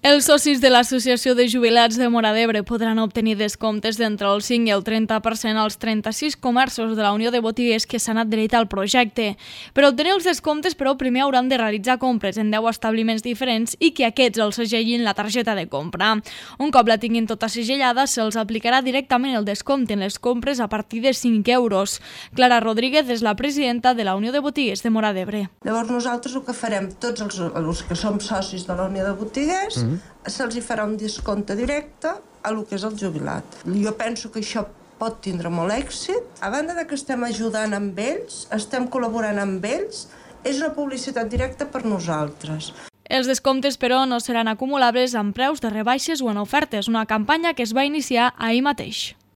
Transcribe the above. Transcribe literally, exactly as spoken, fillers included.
Els socis de l'Associació de Jubilats de Móra d'Ebre podran obtenir descomptes d'entre el cinc i el trenta per cent als trenta-sis comerços de la Unió de Botiguers que s'han adherit al projecte. Per obtenir els descomptes, però, primer hauran de realitzar compres en deu establiments diferents i que aquests els segellin la targeta de compra. Un cop la tinguin tota segellada, se'ls aplicarà directament el descompte en les compres a partir de cinc euros. Clara Rodríguez és la presidenta de la Unió de Botiguers de Móra d'Ebre. Llavors nosaltres el que farem, tots els, els que som socis de la Unió de Botiguers, mm. se'ls hi farà un descompte directe a lo que és el jubilat. Jo penso que això pot tindre molt èxit. A banda de que estem ajudant amb ells, estem col·laborant amb ells, és una publicitat directa per nosaltres. Els descomptes, però, no seran acumulables amb preus de rebaixes o en ofertes, una campanya que es va iniciar ahir mateix.